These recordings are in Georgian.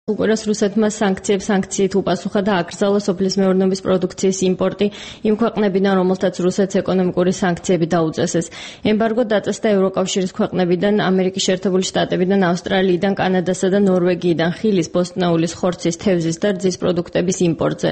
უყურეს რუსეთმა სანქციით უპასუხა და აკრძალა სოფლის მეურნეობის პროდუქციის იმპორტი იმ ქვეყნებიდან, რომელთაც რუსეთს ეკონომიკური სანქციები დაუწესეს. ემბარგო დაწესდა ევროკავშირის ქვეყნებიდან, ამერიკის შეერთებული შტატებიდან, ავსტრალიიდან, კანადასა და ნორვეგიიდან ხილის, ბოსტნეულის, ხორცის, თევზის და რძის პროდუქტების იმპორტზე.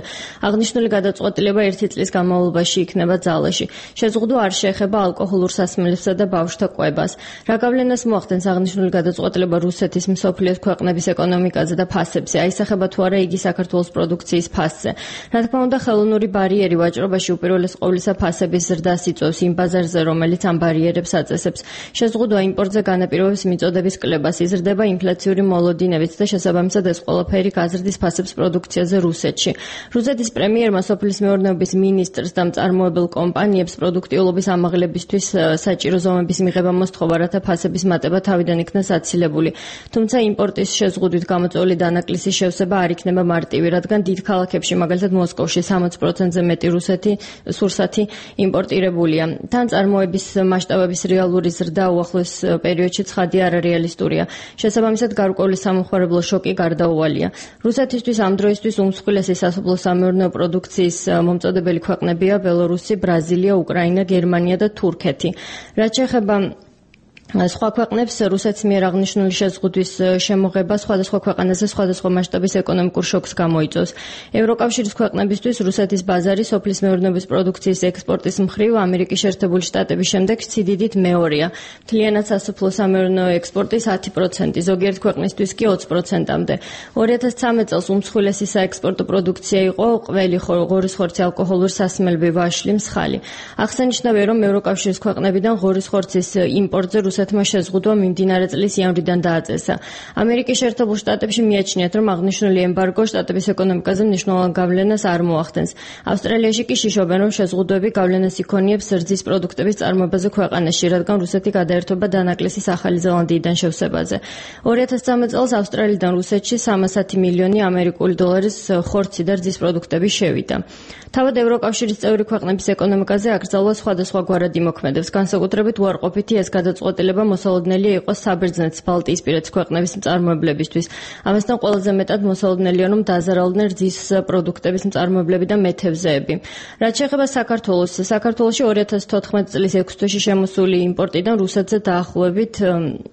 აღნიშნული გადაწყვეტილება 1 წლის განმავლობაში იქნება ძალაში. შეზღუდვა არ შეეხება ალკოჰოლურ სასმელებსა და ბავშვთა კვებას. რა გავლენას მოახდენს აღნიშნული გადაწყვეტილება რუსეთის მსოფლიოს ქვეყნების ეკონომიკაზე და ფასებზე, აისახება თუ არა იგი საქართველოს პროდუქციის ფასზე. რა თქმა უნდა, ხელოვნური ბარიერი ვაჭრობაში უპირველეს ყოვლისა ფასების ზრდას იწვევს იმ ბაზარზე, რომელიც ამ ბარიერებს აწესებს. შეზღუდვა იმპორტზე განაპირობებს მიწოდების კლებას, იზრდება ინფლაციური მოლოდინებიც და შესაბამისად ეს ყველაფერი გაზრდის ფასებს პროდუქციაზე რუსეთში. რუსეთის პრემიერმა სოფლის მეურნეობის მინისტრს და მწარმოებელ კომპანიებს პროდუქტიულობის ამაღლებისთვის საჭირო ზომების მიღება მოსთხოვა, რათა ფასების მატება თავიდან იქნას აცილებული. თუმცა იმპორტის შეზღუდვით გამოწვეული დანაკლისის შევსება არ იქნება მარტივი, რადგან დიდ ქალაქებში, მაგალითად მოსკოვში 60%-ზე მეტი სურსათი იმპორტირებულია. თან წარმოების მასშტაბების რეალური ზრდა უახლოეს პერიოდში ცხადია არარეალისტურია. შესაბამისად, გარკვეული სამომხმარებლო შოკი გარდაუვალია. რუსეთისთვის ამ დროისთვის უმსხვილესი სასოფლო-სამეურნეო პროდუქციის მომწოდებელი ქვეყნებია ბელორუსი, ბრაზილია, უკრაინა, გერმანია და თურქეთი. რაც შეეხება სხვა ქვეყნებს, რუსეთს მიერ აღნიშნული შეზღუდვის შემოღება სხვადასხვა ქვეყანაზე სხვადასხვა მასშტაბის ეკონომიკურ შოკს გამოიწვევს. ევროკავშირის ქვეყნებისთვის რუსეთის ბაზარი სოფლის მეურნეობის პროდუქციის ექსპორტის მხრივ ამერიკის შეერთებული შტატების შემდეგ სიდიდით მეორეა. მთლიანად სასოფლო-სამეურნეო ექსპორტის 10%, ზოგიერთ ქვეყნისთვის კი 20%-მდე. 2013 წელს უმსხვილესი საექსპორტო პროდუქცია იყო ყველი, ღორის ხორცი, ალკოჰოლური სასმელები, ვაშლი, მსხალი. აღსანიშნავია, რომ ევროკავშირის ქვეყნებიდან ღორის ხორცის იმპორტზე რუსეთმა შეზღუდვა მიმდინარე წლის იანვრიდან დააწესა. ამერიკის შეერთებულ შტატებში მიაჩნიათ, რომ აღნიშნული ემბარგო შტატების ეკონომიკაზე მნიშვნელოვან გავლენას არ მოახდენს. ავსტრალიაში კი შიშობენ, რომ შეზღუდვები გავლენას იქონიებს რძის პროდუქტების წარმოებაზე ქვეყანაში, რადგან რუსეთი გადაერთვება დანაკლისის ახალი ზელანდიიდან შევსებაზე. 2013 წელს ავსტრალიიდან რუსეთში 310 მილიონი ამერიკული დოლარის ხორცი და რძის პროდუქტები შევიდა. თავად ევროკავშირის წევრი ქვეყნების ეკონომიკაზე აკრძალვა სხვადასხვაგვარად იმოქმედებს, განსაკუთრებით უარყოფითი ეს გადაწყვეტილება მოსალოდნელია იყოს საბერძნეთის, ბალტიისპირეთის ქვეყნების მწარმოებლებისთვის. ამასთან ყველაზე მეტად მოსალოდნელია, რომ დაზარალდნენ რძის პროდუქტების მწარმოებლები და მეთევზეები. რაც შეეხება საქართველოს, საქართველოში 2014 წლის 6 თვეში შემოსული იმპორტიდან რუსეთზე დაახლოებით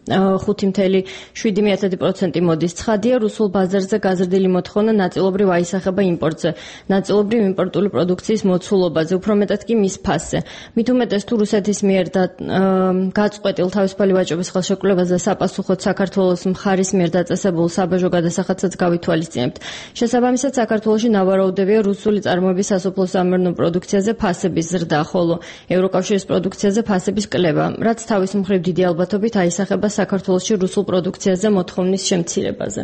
5.7% მოდის. ცხადია, რუსულ ბაზარზე გაზრდილი მოთხოვნა ნაწილობრივ აისახება იმპორტზე, ნაწილობრივ იმპორტული პროდუქციის მოცულობაზე, უფრო მეტად კი მის ფასზე. მით უმეტეს თუ რუსეთის მიერ გაწყვეტილ თავისუფალი ვაჭრობის ხელშეკრულებას და საფასუხოდ საქართველოს მხარის მიერ დაწესებულ საბაჟო გადასახადსაც გავითვალისწინებთ. შესაბამისად, საქართველოში ნავარაუდებია რუსული წარმოების სასოფლო-სამეურნეო პროდუქციაზე ფასების ზრდა, ხოლო ევროკავშირის პროდუქციაზე ფასების კლება, რაც თავის მხრივ დიდი ალბათობით აისახება საქართველოში რუსულ პროდუქციაზე მოთხოვნის შემცირებაზე.